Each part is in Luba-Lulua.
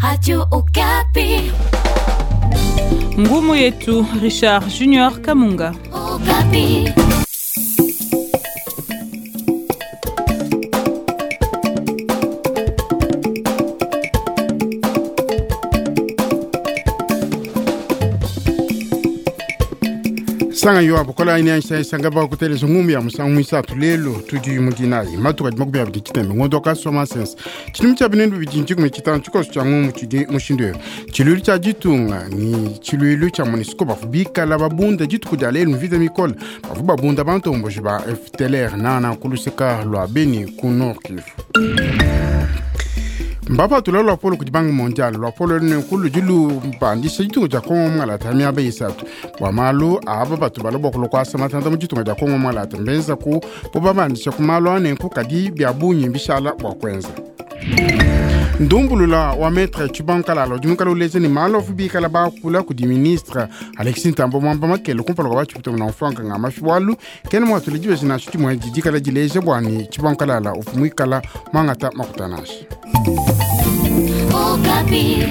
Radio Okapi. Ngumu yetu Richard Junior Kamunga. Okapi. Sanga yo abukola ine ansa sanga ba kuteleza ngumu ya musangu mwisatu lelo tudi mudinayi matuka di makumi abidi tshitembe ngondo ka soma sense tshidimu tshia binendu bidi ntshikumi tshitanu tshikoso tshia ngumu tshidi mushindu eyo tshiluilu tshia ditunga ni tshiluilu tshia MONUSCO bavu bikala babunda dituku dia lelu mvita mikole bavu babunda bantomboji ba FDLR nana kuluseka lua Beni ku Nord Kivu. Mbapatula luapolo kudi Banque mondiale luapolo nenku ludi lupandisha ditunga dia Kongo mualata miaba isatu bua malu aba batu bala bua kulua kuasa matanda mu ditunga dia Kongo mualata mbenza ku bobabandisha ku malu anenku kadi bia bungi mbishala bua kuenza. Ndumbulula wa maître Tshibangu Kalala udi muikale uleja ne malu avu bikala bakula kudi ministre Alexis Ntambwe Mwamba Makele kumpala kua batshipita muna mfuanka nga mafi bualu kena muatula dibeji nansha dimue didikala dileja bua ne Tshibangu Kalala uvua muikala muangata makuta nansha. Okapi.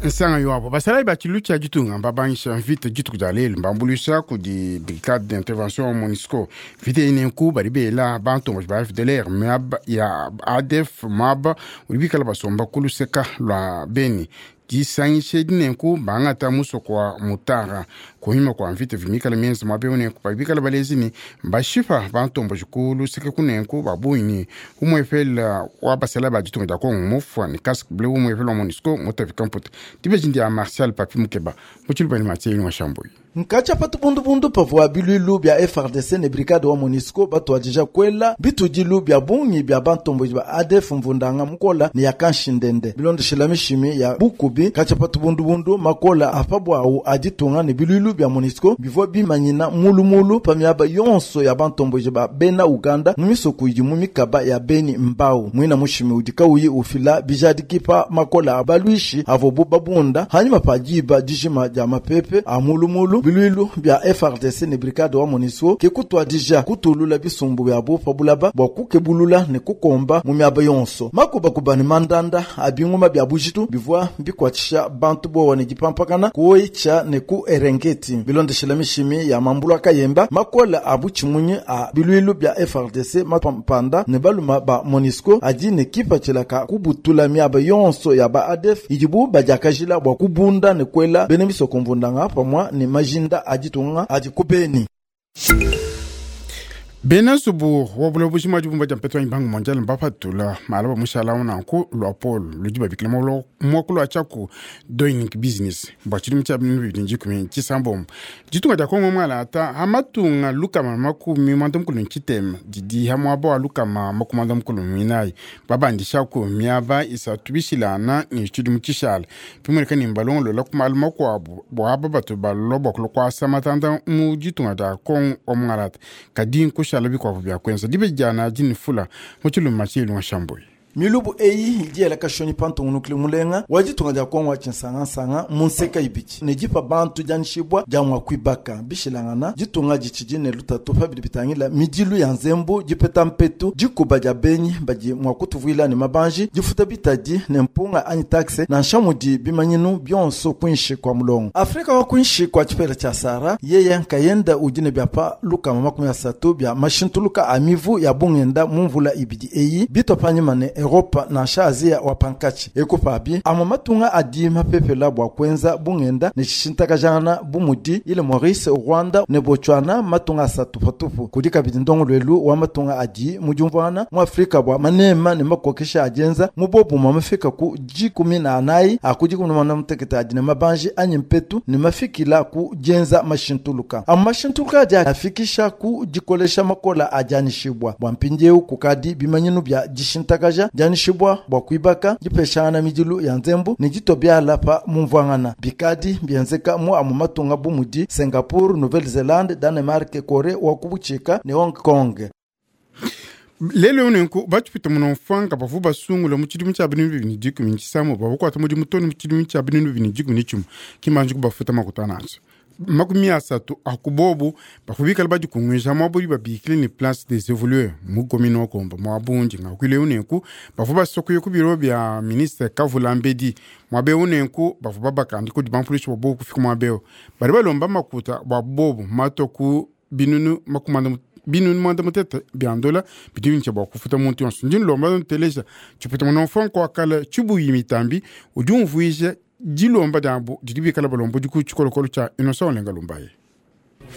Nsanga yoabo basalayi ba tshilu tshia ditunga mbabangisha mvita dituku dia lelu mbambuluisha kudi brigade d'intervention MONUSCO mvita eyi nenku badi bela bantomboji ba FDLR miaba ya ADF muaba udi bikala basomba ku luseka lua Beni disangisha edi nenku bangata musoko wa Mutara kunyima kua mvita vimikala mienza muaba eu nenku badi bikala balezi ne mbashipa bantomboji ku luseke kunenku ba bungi ne umuepela wa basalayi ba ditunga dia Kongo mufua ne casque bleu umuepela wa MONUSCO mutavika mputa dibeji ndia Martial Papi Mukeba mu tshiluba ne Mathieu Yunga Shambuyi. Nkatsha patubundubundu pavua biluilu bia FARDC ne brigade wa MONUSCO batuadija kuela bitudilu bia bungi bia bantomboji ba ADF mvundanga mukola ne ya kanshindende bilondeshela mishimi ya bukubi. Katsha patubundubundu makola a pabuawu a ditunga ne biluilu bia MONUSCO bivua bimanyina mulumulu pa miaba yonso ya bantomboji ba bena Uganda mu misoko idi mu mikaba ya Beni Mbau. Muina mushimi udi kauyi ufila bijadiki pa makola a baluishi avobu babunda hanyuma pa diba dijima dia mapepe a mulumulu. Biluilu bia FARDC ne brigade wa MONUSCO ke kutuadija kutulula bisumbu bia pa bulaba bua kukebulula ne kukomba mu miaba yonso. Makubakuba ne mandanda a binguma bia bujitu bivua bikuatshisha bantu bowa ne dipampakana ku Oicha ne ku Erengeti. Bilondeshela mishimi ya mambulu akayemba makola a butshimunyi a biluilu bia FARDC mapampanda ne baluma ba MONUSCO adi ne kipatshila ka kubutula miaba yonso ya ba ADF idibu badiakajila bua kubunda ne kuela bena misoko mvundanga pamua ne majinda a ditunga adi ku Beni. Bena nzubu wa buloba bujima dibumba dia mpetu wa Banque mondiale mbapatula mala ba mushala nanku luapolo ludi babikila muakulu wa tshiaku doing business bua tshidimu tshia binunu bibidi dikumi tshisambombo ditunga dia Kongo mualata ha matunga lukama makumi muanda mukulu ne tshitema didi ha muaba wa lukama makumi muanda mukulu minayi babandishaku miaba isatu bishilana ne tshidimu tshishala bimueneka ne mbalongolola ku malu makuabu bua aba batu balua bua kulua kuasa matanda mu ditunga dia Kongo wa mualata kadi nkushala bikuabu bia kuenza dibeji diana dinifula mu tshiluma tshilunga shambuyi. Milubu eyi idi yela kashonyi pa ntungunukile mulenga wa ditunga dia Kongo wa tshinsangansanga mu nseka ibidi ne dipa bantu dianyishibua dia mua kuibaka bishilangana ditunga ditshidi ne lutatu pa bidi bitangila midilu ya nzembu dipeta mpetu dikuba dia benyi badi mua kutuvuila ne mabanji difuta bitadi ne mpunga anyi taxe nansha mudi bimanyinu bionso kuinshi kua mulongo. Afrika wa kuinshi kua tshipela tshia Sahara yeye nkayenda udi ne biapa lukama makumi asatu bia mashintuluka a mivu ya bungenda mu mvula ibidi eyi bitwa panyima ne Europa nansha Azia wa pankatshi. Ekupabi amwe matunga adi mapepela bua kuenza bungenda ne tshishintakajana bumudi ile Maurice, Rwanda ne Botswana matunga asatu patupu. Kudi kabidi ndongoluelu wa matunga adi mu diumvuana mu Afrika bua manema ne makokesha adienza mu bobumwa mafika ku dikumi na anayi a ku dikumi na muanda mutekete adi ne mabanji anyi mpetu ne mafikila ku dienza mashintuluka. Amwe mashintuluka adi afikisha ku dikolesha makola adi anishibwa bua mpindieu kukadi bimanyinu bia dishintakaja dianyishibua bua kuibaka dipeshangana midilu ya nzembu ne ditobiala pa mumvuangana bikadi bienzeka mu amu matunga bu mudi Singapore, Nouvelle-Zélande, Danemark, Corée wa kubutshika ne Hong Kong. Lelo nenku batshipita muno mfanga bavu basungula mu tshidimu tshia binunu bibidi ne dikumi ne tshisambo bavukuata mudimu to ne mu tshidimu tshia binunu bibidi ne dikumi ne tshimue kimbanji kubafuta makuta nansha. 30 a ku bobu bavua bikala badikunguija muaba udi babikile ne Place des Evolueurs mu commune wa Komba muaba undi ngakuile eu. Nenku bavua basokuye ku biro bia ministre Kavula Mbedi muaba eu. Nenku bavua babakandi kudi bampulushi bua bobu kufika muaba eu. Badi balomba makuta bua bobu mato ku 560 bia ndola bidi bintsha bua kufuta muntu yonso. Ndi nlomba nteleja tshipeta muna mfanko wa kala tshibuyi mitambi udi umvuija dilomba diabu didi bikala balomba ku tshikolokolo tshia Innocent Olenga Lumbaye.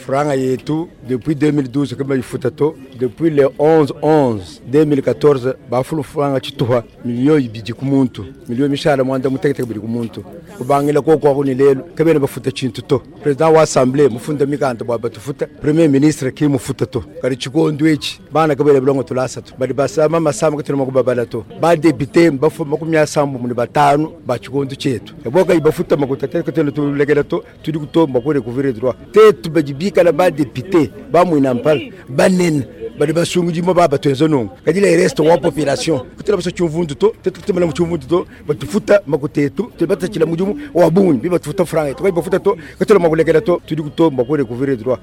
Franga yetu depuis 2012 kama ifuta to. Depuis le 11 11 2014 bafulu franga tshituha 2 millions ku muntu, miliyo mishala 62 ku muntu. Kubangila koko ako ni lelo kabena bafuta tshintu to. Président wa assemblée mufunda mikanda bwa batufuta, premier ministre ki mufuta to. Kali tshikondo etshi bana kabela bilongo tulasa to, bali basama masama katuna makubabala to. Ba député bafu 75 ba tshikondo tshietu eboka ibafuta makuta te katuna tulekela to. Tudi kutomba ku recouvrir droit tetu badi bikala ba député bamwina mpala banene badi basungudimo ba batwenza nungu. Kadi le reste wa population kutela baso tshimvundu to tetu kutemela mu tshimvundu to. Batufuta makuta etu tubatachila mudimu wa bungi bi batufuta franga etu bafuta to katela makulekela to. Tudi kutomba ku recouvrir droit.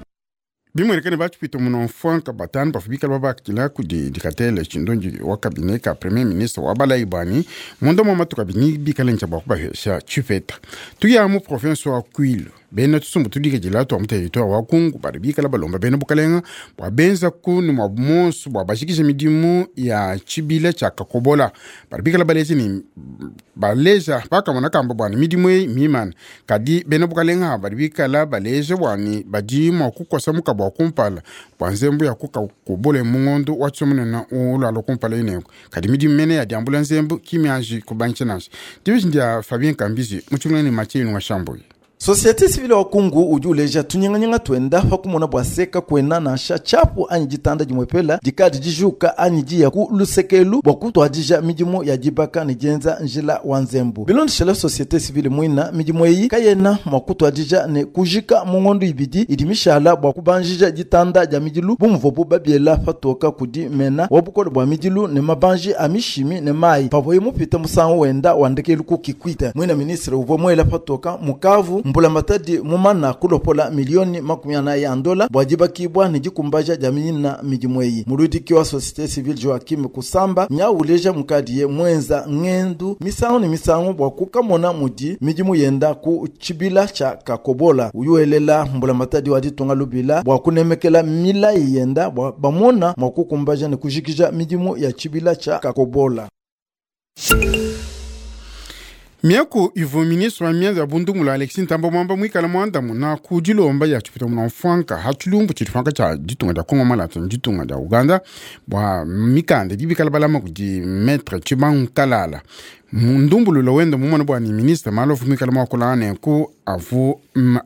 Bimuenekane batshipita muno mfanka 5 bavua bikala babakila kudi dikatele tshindonji wa cabinet ka premier ministre wa balayi bwani munda mwa matuka bini bikala ntsha bua kubahesha tshipeta. Tuya mu province wa Kwilu, bena tusumbu tudikejela twa mu territoire wa Kungu badi bikala balomba bena bukalenga bua benza kunu mwa monso bua bashikisha midimu ya tshibila tshia Kakobola. Badi bikala baleja ni baleja bakamona kamba bwani midimu eyi mimana, kadi bena bukalenga badi bikala baleja bwani badi mua kukosa mukaba wa kumpala bua nzembu ya kukakobola mu ngondo wa tsomonena ulwala kumpala ineko, kadi midimu mene ya diambula nzembu kimianji kubangisha nansha. Division dia Fabien Kambizi mutshungulani Mathieu Ilunga Shamboyi. Société civile wa Kungu udi uleja tunyinganyinga twenda pa kumona bua seka kwena nansha tshiapu anyi ditanda dimwepela dikadi dijuka anyi diya ku lusekelu bua kutuadija midimu ya dibaka ne dienza njila wa nzembu. Bilondeshela société civile mwina, midimu eyi kayena mua kutuadija ne kujika mu ngondo 2 idi mishala bua kubanjija ditanda dia midilu bumuvobu babiela patoka kudi mena wa bukole bua midilu ne mabanji a mishimi ne mayi pavoye mupita musangu wenda wandekelu ku Kikwit. Mwina ministre uvua mwela patoka mukavu mbulamatadi mumana kulopola 40 millions ya ndola bua dibakibwa ne dikumbaja dia mina midimu eyi. Muludiki wa société civile Joakim Kusamba nyauleja mukadiye mwenza ngendu misangu ne misangu bua kukamona mudi midimu yenda ku tshibila tshia Kakobola. Uyuelela mbulamatadi wa ditunga lubila bua kunemekela milayi yenda bua bamona mua kukumbaja ne kujikija midimu ya tshibila tshia Kakobola. Miaku ivua ministre wa mianza ya bundungula Alexis Ntamba Mwamba mwikala mwandamuna ku dilomba ya tshipita muna mfanka ha tshilumbu tshidi tsha ditunga dia Kongo malata ne ditunga dia Uganda bua mikanda idi bikala balama kudi maître Tshibangu Kalala. Ndumbululo wenda mumona bua ni ministre malofu mwikala mwakula nenku avu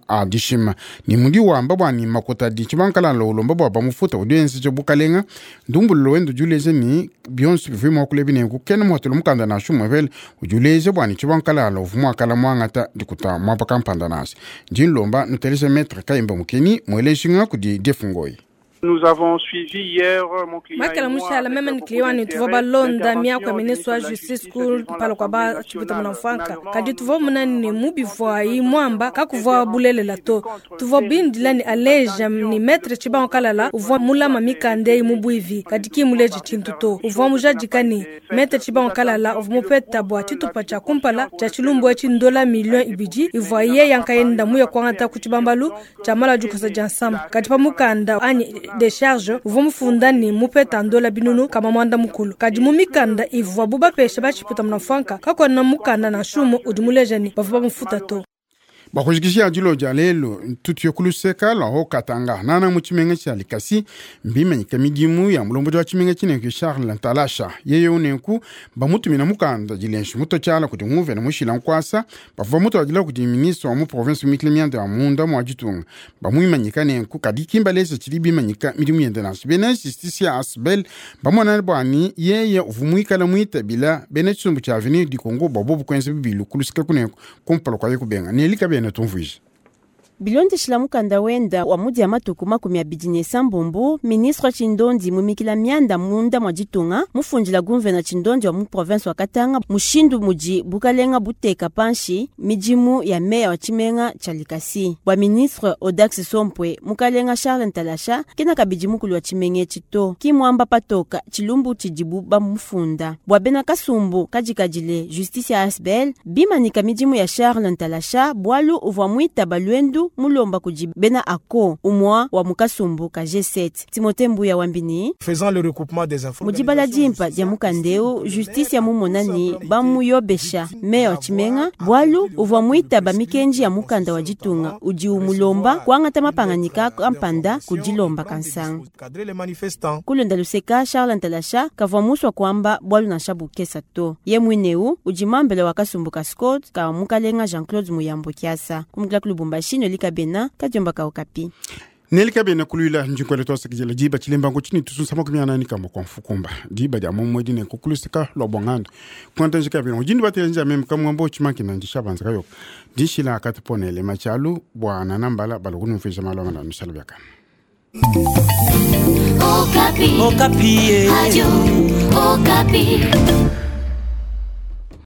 adishima ni mudi wamba bua ni makota di Tshibangu Kalala ulomba bua bamufuta udi enzeja bukalenga. Ndumbululo wenda udi uleja ni bionso bivui mwakula ebi nenku kena muhatula mukanda nansha umwevele udi uleja bua ni Tshibangu Kalala uvu mwakala mwangata dikuta mwapa kampanda nasi. Ndi nlomba nutelesha maître Kayimba Mukeni mweleshinga kudi Defungoyi. Nous avons suivi hier mon client. Makala mushala meme ni client ni tuvo balonda miako ya ministre wa justice ku palo kwa ba chipita munamfanka, kadi tuvo munani mubivwa mwamba kakuvwa bulelela to. Tuvo bindila ni aleja ni maître Tshibangu Kalala uvwa mulama mikande mubwivi, kadi ki muleji tshintu to. Uvwa mujadika ni maître Tshibangu Kalala uvwa mupeta bua tshitupa tshia kumpala tshia tshilumbu etshi ndola 2 millions ivwa ye yankayenda muya kuangata ku tshibambalu tshia mala dikosa dia nsamba, kadi pa mukanda anyi décharge uvua mufunda ni mupeta ndola 500,000, kadi mu mikanda ivua bubapesha batshipita munamfanka kakona mukanda na shumu udi muleja ni bavua bamufuta to. Bakujikishia dilo dia lelo tutuye kuluseka lwa Haut-Katanga nana mu tshimenga tshia Likasi. Mbimanyika midimu ya mulombodi wa tshimenga tshinenku Charles Ntalasha. Yeye unenku bamutumina mukanda dilenshi muto tshiala kudi nguvena mushila nkwasa. Bavua mutuadila kudi ministre wa mu province mikile mianda ya munda mua ditunga. Bamuimanyika nenku, kadi kimbalesa tshidi bimanyika midimu yende nansha. Bena justice ya asbel bamona bwani yeye uvua muikala muitabila bena tshisumbu tshia Avenir du Congo bua bobu kuenza bibilu kuluseka kunenku kumpala kwa ye kubenga nelika bena tumvuija. Bilondeshila mukanda wenda wa mudi ya matuku 26, ministre Tshindondi mumikila mianda munda mwa ditunga mufundila guvena Tshindondi wa mu province wa Katanga mushindu mudi bukalenga buteka panshi midimu ya meya wa tshimenga tshia Likasi. Bua ministre Audax Sompwe, mukalenga Charles Ntalasha kena kabidi mukulu wa tshimenga etshi to, ki muamba patoka tshilumbu tshidibu bamufunda. Bua bena kasumbu kadikadile justice ya ASBL bimanika midimu ya Charles Ntalasha bwalu uvua mwitaba lwendu mulomba kudi bena ako umwa wa mukasumbu ka G7. Timothée Mbuya wambini Faisant le recoupement des infos. Mudibala dimpa dia mukandeu justice ya mumonani bamuyobesha meya wa tshimenga bwalu uvua mwitaba mikenji ya mukanda wa ditunga udi umulomba kuangata mapanganyika kampanda kudilomba kansanga. Cadrer les manifestants. Kulonda luseka Charles Ntalasha kavua muswa kuamba bwalu nansha bukesa to. Ye mwineu udi mambele wa kasumbu ka Scott ka mukalenga Jean-Claude Muyambo Kiasa. Kumukila ku Lubumbashi Nolika Bena kadiomba ka Okapi. Nelika bena kulwila njinkwele twasakijela diba tshilembango tshini tusunsa 41 kwa mfukumba diba dia momwedi ne kukulusika lwa bwangando kuanta njika bena ujindi batela nja meme kamwambo chimankina ndishabanza kayoka dishila akatiponele machalu bwana nambala balokunumfisha malwa malanu shala byakana. Okapi. Okapi. Radio Okapi.